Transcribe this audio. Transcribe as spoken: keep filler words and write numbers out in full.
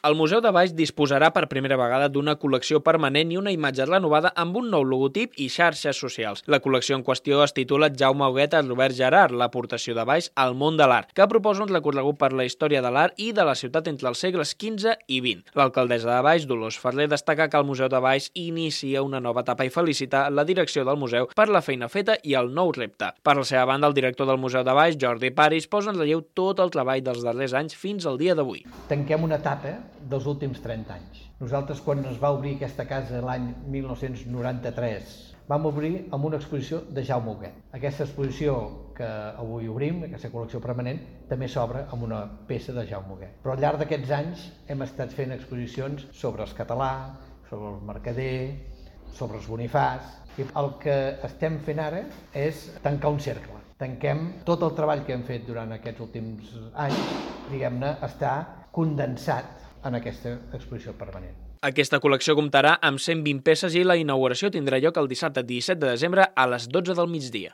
El Museu de Valls disposarà per primera vegada d'una col·lecció permanent i una imatge renovada amb un nou logotip i xarxes socials. La col·lecció en qüestió es titula Jaume Huguet a Robert Gerard, l'aportació de Valls al món de l'art, que proposa un recorregut per la història de l'art i de la ciutat entre els segles quinze i vint. L'alcaldessa de Valls, Dolors Ferrer, destaca que el Museu de Valls inicia una nova etapa i felicita la direcció del museu per la feina feta i el nou repte. Per la seva banda, el director del Museu de Valls, Jordi Paris, posa en relleu tot el treball dels darrers anys fins al dia d'avui. Tanquem una etapa dels últims trenta anys. Nosaltres, quan es va obrir aquesta casa l'any mil nou-cents noranta-tres, vam obrir amb una exposició de Jaume Huguet. Aquesta exposició que avui obrim, aquesta col·lecció permanent, també s'obre amb una peça de Jaume Huguet. Però al llarg d'aquests anys hem estat fent exposicions sobre els català, sobre el mercader, sobre els Bonifàs, i el que estem fent ara és tancar un cercle. Tanquem tot el treball que hem fet durant aquests últims anys, diguem-ne, està condensat en aquesta exposició permanent. Aquesta col·lecció comptarà amb cent vint peces i la inauguració tindrà lloc el dissabte disset de desembre a les dotze del migdia.